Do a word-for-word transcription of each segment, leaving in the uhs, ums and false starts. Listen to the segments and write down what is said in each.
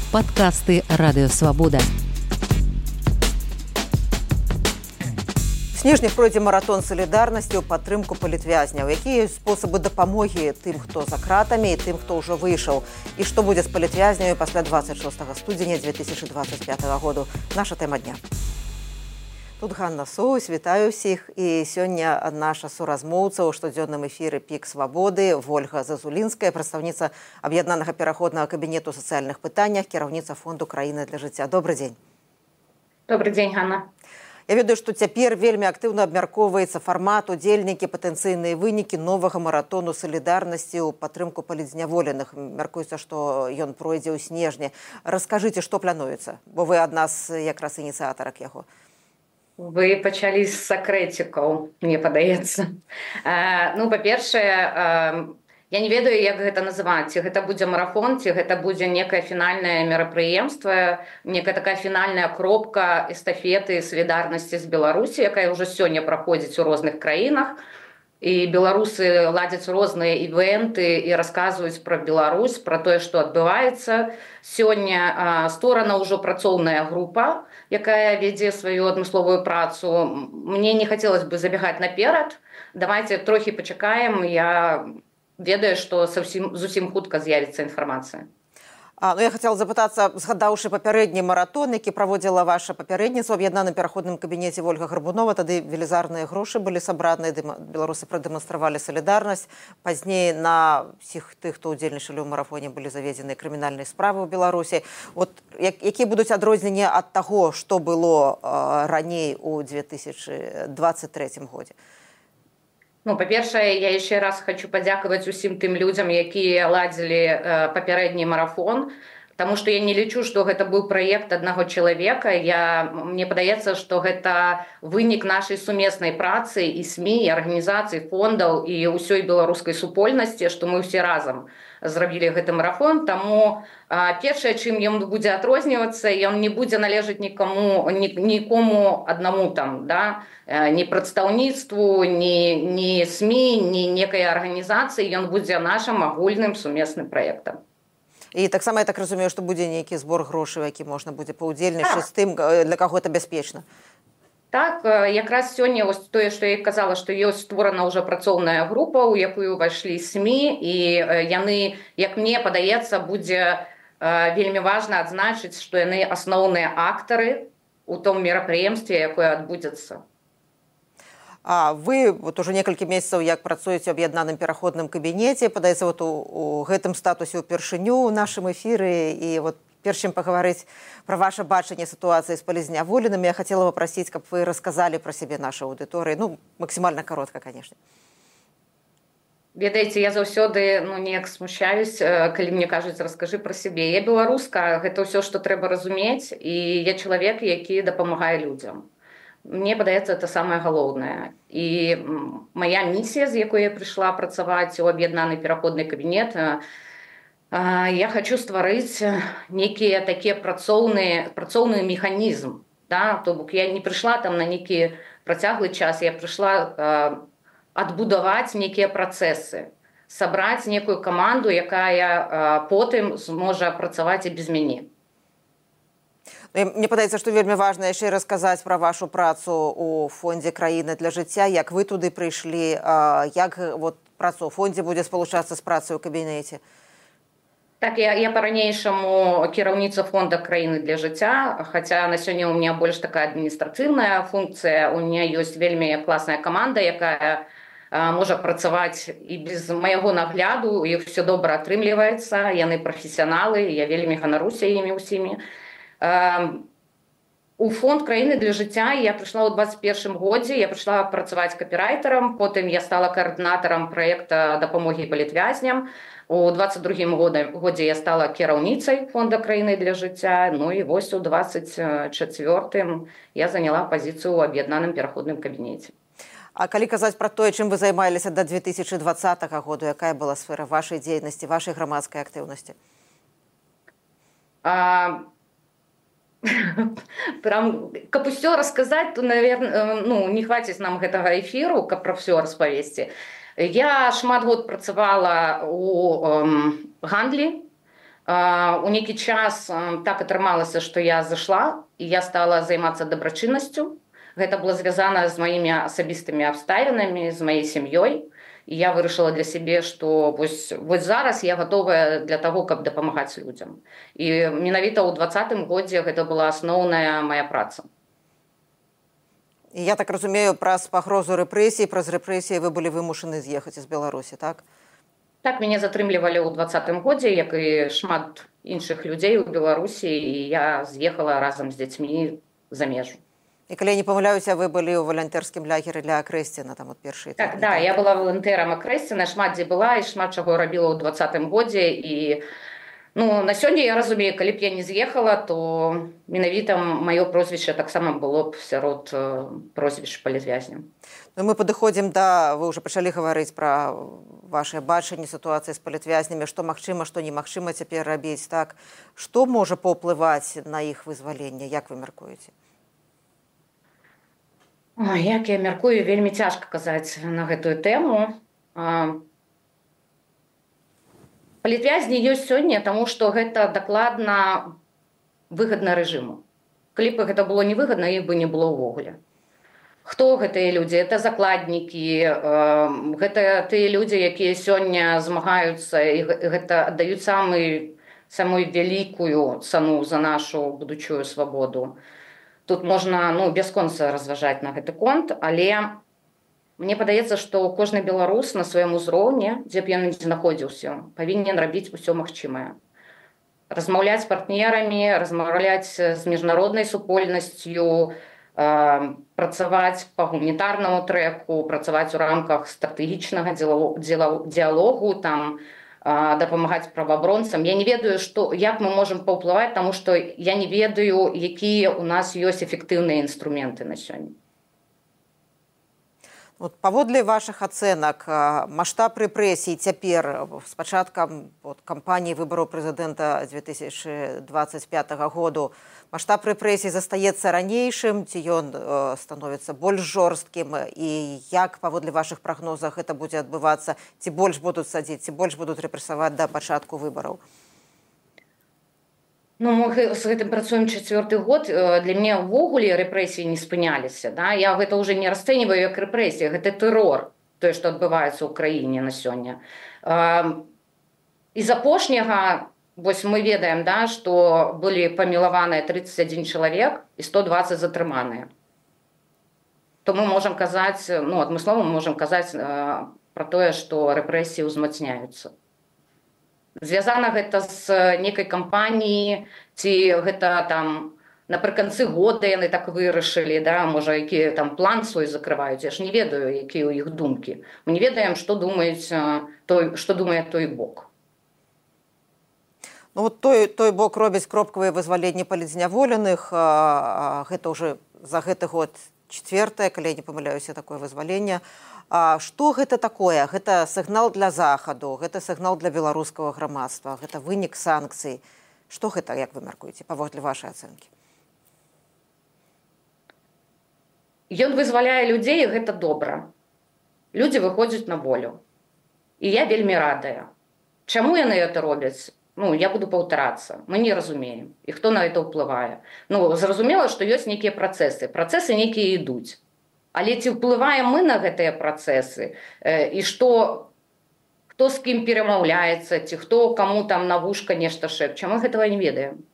Падкасты Радыёвабода. Снежнік пройдзе маратон салідарнасці ў падтрымку палітвязняў. Якія спосабы дапамогі тым, хто за кратамі, і тым, хто ўжо выйшаў? І што будзе з палітвязняю пасля дваццаць шостага студзеня две тысячы дваццаць пятага году? Наша тэма дня. Тут Ганна Соус, вітаю ўсіх. І сёння наша суразмоўца ў штодзённым эфіры «Пік свабоды» Вольга Зазулінская, прадстаўніца аб'яднанага пераходнага кабінету ў сацыяльных пытаннях, кіраўніца фонду «Краіна для жыцця». Добрый дзень. Добрый дзень, Ганна. Я ведаю, што цяпер вельмі актыўна абмяркоўваецца фармат, удзельнікі, патэнцыйныя вынікі новага маратону салідарнасці ў падтрымку палітзняволеных. Мяркуецца, што ён пройдзе ў снежні. Раскажыце, што плануецца, бо вы адна з якраз ініцыятарак яго. Вы пачалі з сакрэцікаў, мне падаецца. Э, ну, па-першае, э, я не ведаю, як гэта называць. Ці гэта будзе марафон, ці гэта будзе некае фінальнае мерапрыемства, некая такая фінальная кропка эстафеты салідарнасці з Беларусі, якая ўжо сёння праходзіць у розных краінах. І беларусы ладзяць розныя івенты і расказваюць пра Беларусь, пра тое, што адбываецца. Сёння створана ўжо працоўная група, якая вядзе сваю адмысловую працу. Мне не хацелось бы забегаць наперад. Давайте трохі пачакаем. Я ведаю, што зусім хутка з'явіцца інфармацыя. А, ну, я хацела запытацца, згадаўшы папярэдні маратон, які праводзіла ваша папярэдніца ў аб'яднаным пераходным кабінеце Вольга Гарбунова, тады велізарныя грошы былі сабраныя, беларусы прадэманстравалі салідарнасць. Пазней на ўсіх тых, хто ўдзельнічалі ў марафоне, былі заведзеныя крымінальныя справы ў Беларусі. От, як, якія будуць адрозненні ад таго, што было а, раней у две тысячы дваццаць трэцім годзе? Ну, па-першае, я яшчэ раз хочу падзякаваць усім тым людзям, якія ладзілі э, папярэдні марафон, таму што я не лічу, што гэта быў праект аднаго чалавека. Я, мне падаецца, што гэта вынік нашай сумеснай працы і СМІ, і арганізацый, фондаў і ўсёй беларускай супольнасці, што мы ўсе разам зрабілі гэты марафон. Таму э, першае, чым ён будзе адрознівацца, ён не будзе належаць нікому, ні, нікому аднаму там, да? Ні прадстаўніцтву, ні, ні СМІ, ні некай арганізацыі, ён будзе нашым агульным сумесным праектам. І таксама я так разумею, што будзе нейкі збор грошай, які можна будзе паўдзельнічаць з тым, для каго гэта бяспечна. Так, якраз сёння вось тое, што я казала, што ёсць створана ўжо працоўная група, у якую ўвайшлі СМІ, і яны, як мне падаецца, будзе вельмі важна адзначыць, што яны асноўныя актары у том мерапрыемстве, якое адбудзецца. А вы вот уже некалькі месяцаў як працуеце ў аб'яднаным пераходным кабінеце, падаецца вот у, у гэтым статусе ўпершыню ў нашым эфіры, і вот перш чым пагаварыць пра ваше бачанне сітуацыі з палітзняволенымі, я хацела папрасіць, каб вы расказалі пра сябе нашай аўдыторыі, ну максімальна каротка, канешне. Ведаеце, я заўсёды ну, неяк смущаюсь, калі мне кажуць, раскажы пра сябе. Я беларуска, гэта ўсё, што трэба разумець, і я чалавек, які дапамагае людзям. Мне падаецца, это самае галоўнае. І моя місія, з якой я прыйшла працаваць у аб'яднаны пераходны кабінет, я хочу стварыць некія такія працоўныя, працоўны механізм. Да? То бок я не прыйшла там на нейкі працяглы час, я прыйшла адбудаваць некія працэсы, сабраць некую каманду, якая потым зможа працаваць і без мяне. Мне падаецца, што вельмі важна яшчэ расказаць пра вашу працу ў фондзе «Краіна для жыцця», як вы туды прыйшлі, як вот, працу ў фондзе будзе спалучацца з працай у кабінеце. Так, я, я па-ранейшаму кіраўніца фонда «Краіны для жыцця», хаця на сёння у меня больш такая адміністрацыйная функцыя, у меня ёсць вельмі класная каманда, якая а, можа працаваць і без майго нагляду, і ўсё добра атрымліваецца, яны прафесіяналы, я вельмі ганаруся імі ўсімі. У фонд «Краіны для жыцця» я прыйшла ў дваццаць першым годзе, я прыйшла працаваць капірайтарам, потым я стала каардынатарам праекта дапамогі палітвязням. У дваццаць другім годзе я стала кіраўніцай фонда «Краіны для жыцця», ну і вось у дваццаць чацвёртым я заняла пазіцыю ў аб'яднаным пераходным кабінеце. А калі казаць пра тое, чым вы займаліся да две тысячы дваццатага году, якая была сфера вашай дзейнасці, вашай грамадскай актыўнасці? А... Прям, каб усё расказаць, то, наверное, ну, не хваціць нам гэтага эфіру, каб пра ўсё распавесці. Я шмат год працавала у эм, гандлі, У нейкі час так атрымалася, што я зайшла, і я стала займацца дабрачыннасцю. Гэта было звязана з маімі асабістымі абставінамі, з маёй сям'ёй. І я вырашыла для сябе, што вось, вось зараз я гатовая для таго, каб дапамагаць людзям. І менавіта ў дваццатым годзе гэта была асноўная мая праца. І я так разумею, праз пагрозу рэпрэсій, праз рэпрэсіі вы былі вымушаны з'ехаць з Беларусі, так? Так, мяне затрымлівалі ў дваццатым годзе, як і шмат іншых людзей у Беларусі, і я з'ехала разам з дзецьмі за межу. І калі я не памыляюся, вы былі ў валанцёрскім лагеры для Акрэсціна, там от першыя. Так, да, я была валантэрам Акрэсціна, шмат дзе была і шмат чаго рабіла ў дваццатым годзе. І ну, на сёння я разумею, калі б я не з'ехала, то менавіта маё прозвішча таксама было б сярод прозвішч палітвязняў. Ну, мы падыходзім да, вы ўжо пачалі гаварыць пра вашае бачанне сітуацыі з палітвязнямі, што магчыма, што немагчыма цяпер рабіць, так? Што можа паўплываць на іх вызваленне, як вы мяркуеце? Ой, як я мяркую, вельмі цяжка казаць на гэтую тэму. Палітвязні ёсць сёння, таму што гэта дакладна выгадна рэжыму. Калі б гэта было невыгадна, іх бы не было ўвогуле. Хто гэтыя людзі? Это закладнікі, гэта тыя людзі, якія сёння змагаюцца і гэта аддаюць самую, самую вялікую цану за нашу будучую свабоду. Тут можна ну, бясконца разважаць на гэты конт, але мне падаецца, што кожны беларус на сваім узроўні, дзе б ён не знаходзіўся, павінен рабіць усё магчымае. Размаўляць з партнерамі, размаўляць з міжнароднай супольнасцю, э, працаваць па гуманітарнаму трэку, працаваць у рамках стратэгічнага дыялогу, там, дапамагаць праваабаронцам. Я не ведаю, што, як мы можам паўплываць, таму што я не ведаю, якія ў нас ёсць эфектыўныя інструменты на сёння. Вот, паводле вашых ацэнак, маштаб рэпрэсій цяпер з пачаткам вот, кампаніі выбараў прэзідэнта две тысячы дваццаць пятага году, маштаб рэпрэсій застаецца ранейшым, ці ён э, становіцца больш жорсткім, і як паводле вашых прагнозах гэта будзе адбывацца, ці больш будуць садзіць, ці больш будуць рэпрэсаваць да пачатку выбараў? Ну, мы з гэтым працуем чацвёрты год. Для мяне ўвогуле рэпрэсіі не спыняліся. Да? Я гэта ўжо не расцэньваю як рэпрэсія, гэта тэрор, тое, што адбываецца ў краіне на сёння. І з апошняга, вось мы ведаем, да, што былі памілаваныя трыццаць адзін чалавек і сто дваццаць затрыманыя. То мы можам казаць, ну, адмыслова мы можам казаць пра тое, што рэпрэсіі ўзмацняюцца. Звязана гэта з нейкай кампаніі, ці гэта там напрыканцы года яны так вырашылі, да, можа, які там план свой закрываюць. Я ж не ведаю, якія ў іх думкі. Мы не ведаем, што думаюць, той, што думае той бок. Ну, вот той, той бок робіць кропкавыя вызваленні палітзняволеных. Гэта ўжо за гэты год чацвёртае, калі я не памыляюся, такое вызваленне. А што гэта такое? Гэта сігнал для Захаду, гэта сігнал для беларускага грамадства, гэта вынік санкцый. Што гэта, як вы мяркуеце, паводле вашай ацэнкі? Ён вызваляе людзей, і гэта добра. Людзі выходзяць на волю. І я вельмі радая. Чаму яны гэта робяць? Ну, я буду паўтарацца. Мы не разумеем. І хто на гэта ўплывае? Ну, зразумела, што ёсць нейкія працэсы. Працэсы нейкія ідуць. Але ці ўплываем мы на гэтыя працэсы? І што, хто з кім перамаўляецца, ці хто каму там на вушка нешта шэпча? Мы гэтага не ведаем.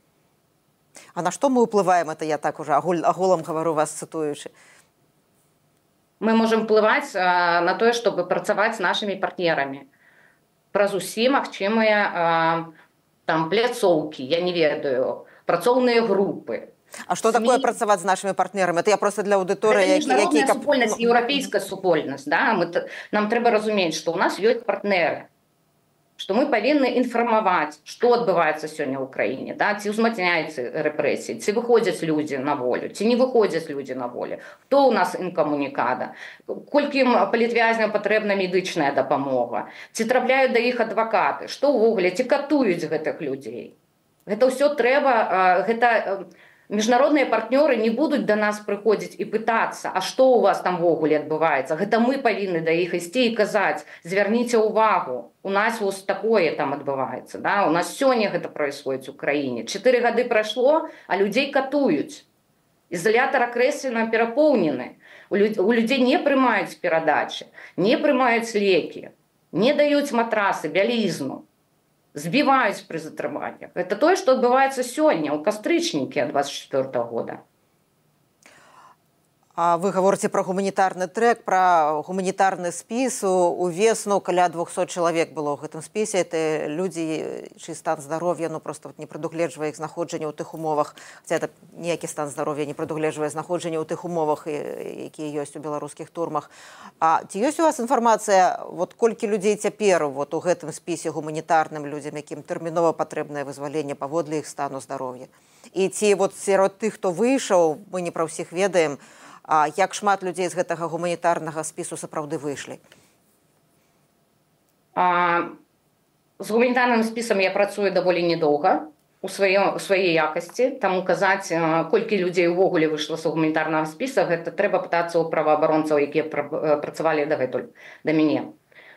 А на што мы ўплываем? Это я так уже агулам гавару вас цытуючы. Мы можам ўплываць на тое, чтобы працаваць з нашымі партнерамі. Праз усе магчымыя там пляцоўкі, я не ведаю, працоўныя групы. А што такое працаваць з нашымі партнерамі? Это я просто для аўдыторыі, які... Гэта міжнародная супольнасць, еўрапейская супольнасць. Да? Мы, нам трэба разумець, што ў нас ёсць партнеры, што мы павінны інфармаваць, што адбываецца сёння ў краіне. Да? Ці ўзмацняюцца рэпрэсіі, ці выходзяць людзі на волю, ці не выходзяць людзі на волю. Хто ў нас інкамунікада? Колькі палітвязням патрэбна медычная дапамога? Ці трапляюць да іх адвакаты? Што ўвогуле? Ці катуюць гэтых людзей? Гэта ўсё трэба... Гэта... Міжнародныя партнёры не будуць да нас прыходзіць і пытацца, а што ў вас там ввогуле адбываецца. Гэта мы павінны да іх ісці і казаць: звярніце ўвагу, у нас вось такое там адбываецца. Да? У нас сёння гэта происходит у краіне. Чатыры гады прайшло, а людзей катуюць. Ізалятар акрэслена перапоўнены. У людзей не прымаюць перадачы, не прымаюць лекі, не даюць матрасы, бялізну. Збіваюць пры затрыманнях. Гэта тое, што адбываецца сёння, ў кастрычнікі двадцать четвёртого года. А вы гаворыце пра гуманітарны трэк, пра гуманітарны спіс. У весну каля двухсот чалавек было ў гэтым спісе. Это людзі, чый стан здароўя ну, просто не прадугледжвае іх знаходжанне ў тых умовах. Хаця это ніякі стан здароўя не прадугледжвае знаходжанне ў тых умовах, якія ёсць у беларускіх турмах. А ці ёсць у вас інфармацыя, вот колькі людзей цяпер вот, у гэтым спісе гуманітарным людзям, якім тэрмінова патрэбнае вызваленне паводле іх стану здароўя? І ці вот сярод тых, хто выйшаў, мы не пра ўсіх ведаем, а як шмат людзей з гэтага гуманітарнага спісу сапраўды выйшлі? А, з гуманітарным спісам я працую даволі недоўга у сваёй, сваёй якасці, таму казаць, колькі людзей увогуле выйшла з гуманітарнага спіса, гэта трэба пытацца ў праваабаронцаў, якія працавалі дагэтуль да мяне.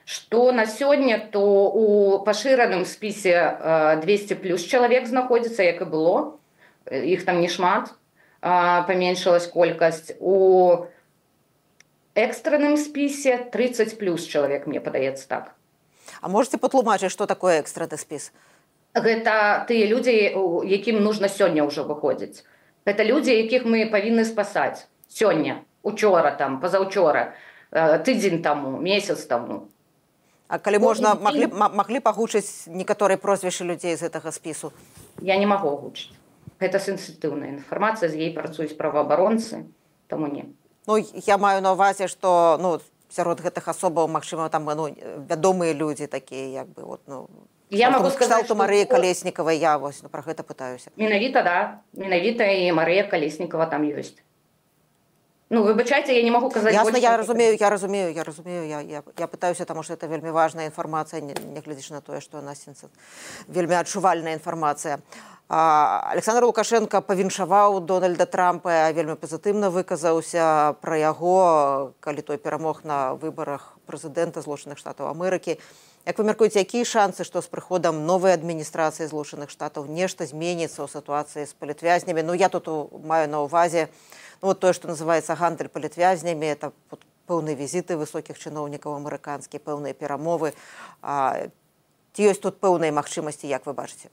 Што на сёння, то у пашыраным спісе двести плюс чалавек знаходзіцца, як і было, іх там не шмат. Паменшылась колькасць. У экстранным спісе тридцать плюс чалавек, мне падаецца так. А можете патлумачыць, што такое экстраны спіс? Гэта тыя людзі, якім нужна сёння ўжо выходзіць. Гэта людзі, якіх мы павінны спасаць сёння, учора, там, пазаўчора, тыдзень таму, месяц таму. А калі можна, маглі, маглі пагучыць некаторыя прозвішчы людзей з гэтага спісу? Я не магу агучыць. Гэта сенсітыўная інфармацыя, з ей працуюць праваабаронцы, таму не. Ну, я маю на ўвазе, што ну, сярод гэтых асобаў, магчыма, там ну, вядомыя людзі такія, як бы, от, ну, я могу сказаць, што Марыя Калеснікава, я вось, ну, пра гэта пытаюся. Менавіта, да. Менавіта і Марыя Калеснікава там ёсць. Ну, выбачайце, я не могу казаць... Ясна, я разумею, я разумею, я разумею, я, я, я пытаюся, таму што это вельмі важная інфармацыя, не, не глядзячы на тое, што у нас вельмі адчувальная інфармацыя. Александр Лукашенко павіншаваў Дональда Трампа, вельмі пазітыўна выказаўся пра яго, калі той перамог на выбарах прэзідэнта Злучаных Штатаў Амерыкі. Як вы мяркуеце, якія шансы, што з прыходам новай адміністрацыі Злучаных Штатаў нешта зменіцца ў сітуацыі з палітвязнямі? Ну, я тут маю на ўвазе ну, вот тое, што называецца гандаль палітвязнямі, это вот, пэўныя візіты высокіх чыноўнікаў амерыканскіх, пэўныя перамовы. А, ці ёсць тут пэўныя магчымасці, як вы бачыце?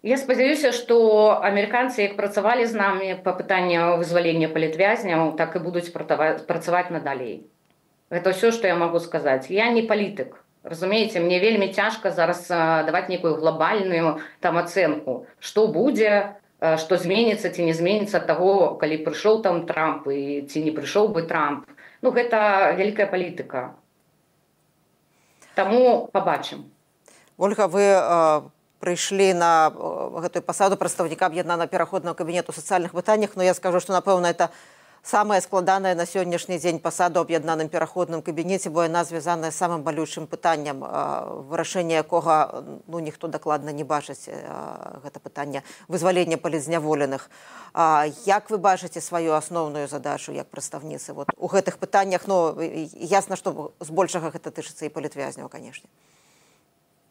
Я спадзяюся, што амерыканцы, як працавалі з намі па пытанню вызвалення палітвязняў, так і будуць працаваць надалей. Гэта ўсё, што я магу сказаць. Я не палітык. Разумееце, мне вельмі цяжка зараз даваць нейкую глобальную там ацэнку, што будзе, што зменіцца ці не зменіцца таго, калі прыйшоў там Трамп і ці не прыйшоў бы Трамп. Ну, гэта вялікая палітыка. Таму пабачым. Ольга, вы прыйшлі на гэтую пасаду прадстаўніка аб'яднанага пераходнага кабінету ў сацыяльных пытаннях, но я скажу, што, напэўна, это самая складаная на сённяшні дзень пасада ў аб'яднаным пераходным кабінеце, бо яна звязаная з самым балючым пытаннем, вырашэння якога ну, ніхто дакладна не бачыць гэта пытанне вызвалення палітзняволеных. Як вы бачыце сваю асноўную задачу як прадстаўніцы вот, у гэтых пытаннях? Ну, ясна, што збольшага гэта тычыцца і палітвязняў, канешне.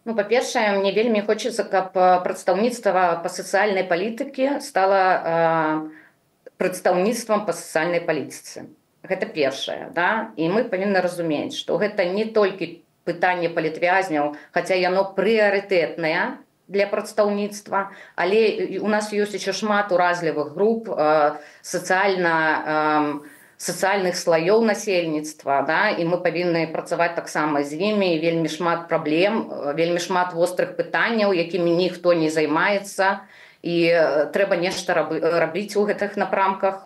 Ну, па-першае, мне вельмі хочацца, каб прадстаўніцтва па сацыяльнай палітыкі стала э, прадстаўніцтвам па сацыяльнай палітыцы. Гэта першае, да? І мы павінны разумець, што гэта не толькі пытанне палітвязняў, хаця яно прыярытэтнае для прадстаўніцтва, але у нас ёсць яшчэ шмат уразлівых груп э, сацыяльна э, сацыяльных слаёў насельніцтва, да? І мы павінны працаваць таксама з імі, вельмі шмат праблем, вельмі шмат вострых пытанняў, якімі ніхто не займаецца, і трэба нешта рабіць у гэтых напрамках.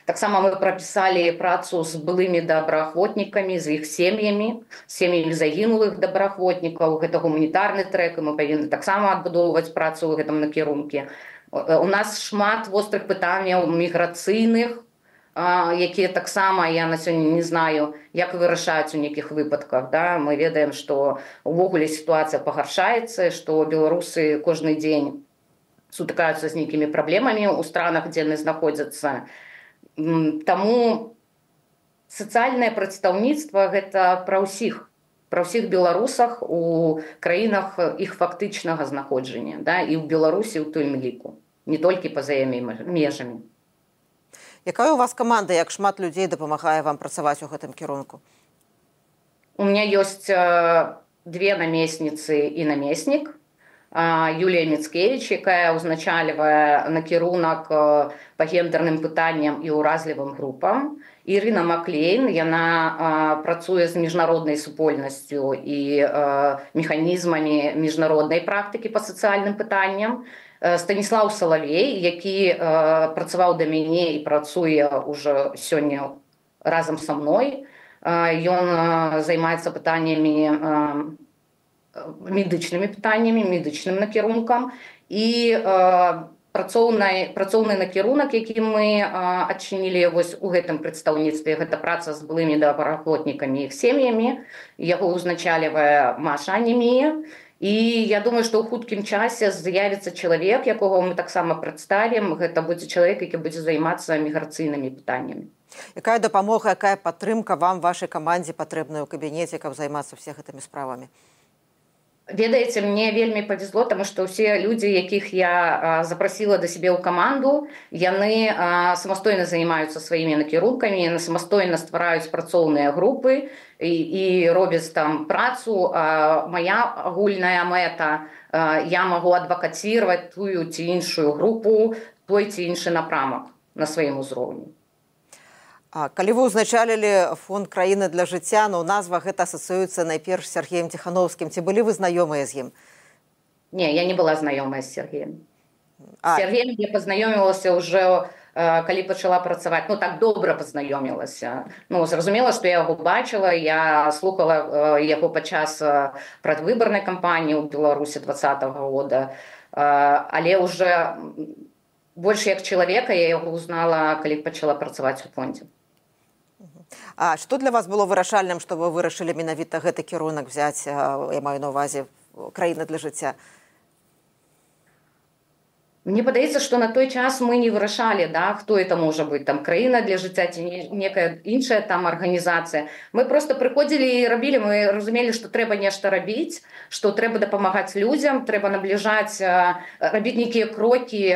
Таксама мы прапісалі працу з былымі добраахвотнікамі, з іх сем'ямі, сем'ямі загінулых добраахвотнікаў, гэта гуманітарны трэк, і мы павінны таксама адбудоўваць працу ў гэтым накірунку. У нас шмат вострых пытанняў міграцыйных, якія таксама, я на сёння не знаю, як вырашаюць у нейкіх выпадках. Да? Мы ведаем, што ўвогуле сітуацыя пагаршаецца, што беларусы кожны дзень сутыкаюцца з нейкімі праблемамі ў странах, дзе яны знаходзяцца. Таму сацыяльнае прадстаўніцтва гэта пра ўсіх, пра ўсіх беларусах у краінах іх фактычнага знаходжання, да, і ў Беларусі ў тым ліку, не толькі па-за яе межамі. Якая у вас каманда, як шмат людзей дапамагае вам працаваць у гэтым кірунку? У меня ёсць две намесніцы і намеснік. Юлія Міцкевіч, якая ўзначальвае накірунак па гендерным пытанням і ўразлівым групам. Ірына Маклейн, яна працуе з міжнароднай супольнасцю і механізмамі міжнароднай практыкі па сацыяльным пытанням. Станіслаў Салавей, які працаваў да мяне і працуе ўжо сёння разам са мной. Ён займаецца пытаннямі, медычнымі пытаннямі, медычным накірункам. І працоўны, працоўны накірунак, які мы адчынілі вось у гэтым прадстаўніцтве, гэта праца з былымі добраахвотнікамі і іх сем'ямі. Яго ўзначальвае Маша Анемія. І я думаю, што ў хуткім часе з'явіцца чалавек, якога мы таксама прадставім. Гэта будзе чалавек, які будзе займацца міграцыйнымі пытаннямі. Якая дапамога, якая падтрымка вам, вашай камандзе патрэбная ў кабінеце, каб займацца всех гэтымі справамі? Ведаеце, мне вельмі павезло, таму што ўсе людзі, якіх я запрасіла да сябе ў каманду, яны самастойна займаюцца сваімі накірункамі, яны самастойна ствараюць працоўныя групы і, і робяць там працу. Мая агульная мэта, я магу адвакацировать тую ці іншую групу, той ці іншы напрамак на сваім узроўні. А калі вы ўзначалілі фонд «Краіна для жыцця», ну, назва гэта асацыюецца найперш з Сергеем Ціхановскім. Ці былі вы знаёмыя з ім? Не, я не была знаёмая з Сергеем. А... З Сергеем я пазнаёмілася ўжо, калі пачала працаваць. Ну, так добра пазнаёмілася. Ну, зразумела, што я яго бачыла, я слухала яго падчас прадвыбарнай кампаніі ў Беларусі двадцатага года. Але ўжо больш як чалавека я яго узнала, калі пачала працаваць у фондзе. А што для вас было вырашальным, што вы вырашылі менавіта гэты кірунак взяць, я маю на ўвазе, «Краіна для жыцця»? Мне падаецца, што на той час мы не вырашалі, да, хто это можа быць, там, «Краіна для жыцця» ці некая іншая там арганізацыя. Мы проста прыходзілі і рабілі, мы разумелі, што трэба нешта рабіць, што трэба дапамагаць людзям, трэба набліжаць, рабіць нейкія крокі,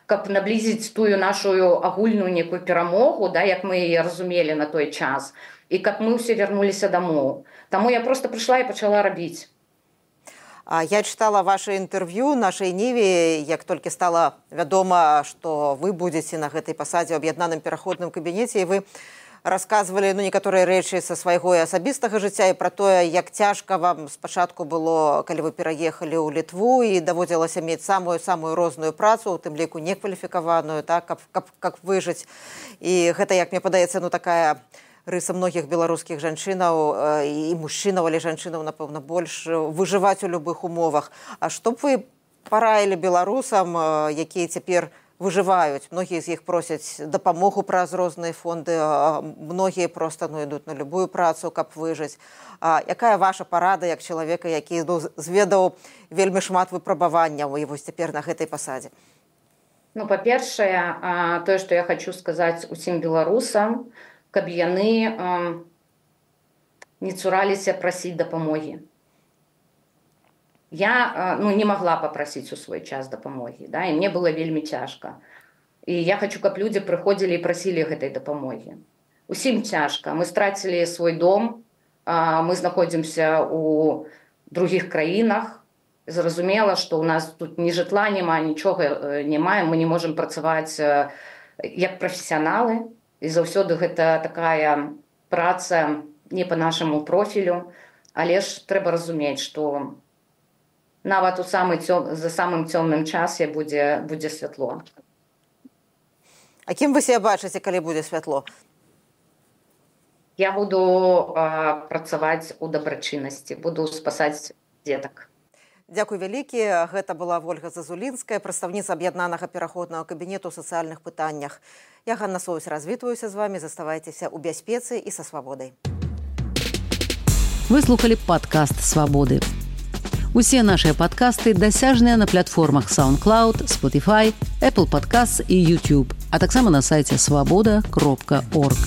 каб наблізіць тую нашу агульную некую перамогу, да, як мы яе разумелі на той час, і каб мы ўсе вярнуліся дамоў. Таму я проста прыйшла і пачала рабіць. Я чытала ваше інтэрв'ю нашай Ніве, як толькі стала вядома, што вы будзеце на гэтай пасадзе ў аб'яднаным пераходным кабінеце, і вы расказвалі, ну, некаторыя рэчы са свайго асабістага жыцця і пра тое, як цяжка вам спачатку было, калі вы пераехалі ў Літву і даводзілася мець самую-самую розную працу, у тым ліку некваліфікаваную, так, каб, каб, каб выжыць. І гэта, як мне падаецца, ну, такая рыса многіх беларускіх жанчынаў і мужчынаў, але жанчынаў, напэўна, больш выжываць у любых умовах. А што б вы параілі беларусам, якія цяпер выжываюць? Многія з іх просяць дапамогу праз розныя фонды, многія проста, ну, ідуць на любую працу, каб выжыць. А якая ваша парада як чалавека, які, ну, зведаў вельмі шмат выпрабаванняў і вось цяпер на гэтай пасадзе? Ну, па-першае, тое, што я хочу сказаць усім беларусам, каб яны э, не цураліся прасіць дапамогі. Я э, ну, не магла папрасіць у свой час дапамогі, да, і мне было вельмі цяжка. І я хочу, каб людзі прыходзілі і прасілі гэтай дапамогі. Усім цяжка. Мы страцілі свой дом, э, мы знаходзімся ў другіх краінах. Зразумела, што ў нас тут ні жытла няма, нічога не маем, мы не можам працаваць э, як прафесіяналы. І заўсёды гэта такая праца не па нашаму профілю, але ж трэба разумець, што нават у самы цём... за самым цёмным часе будзе, будзе святло. А кім вы себе бачыце, калі будзе святло? Я буду а, працаваць у дабрачыннасці, буду спасаць дзетак. Дзякуй вялікі. Гэта была Вольга Зазулінская, прадстаўніца аб'яднанага пераходнага кабінету ў сацыяльных пытаннях. Я, Ганна Соўсь, развітваюся з вамі. Заставайцеся ў бяспецы і са свабодай. Вы слухалі падкаст «Свабоды». Усе нашыя падкасты дасяжныя на платформах SoundCloud, Spotify, Apple Podcasts і YouTube, а таксама на сайце свабода кропка орг.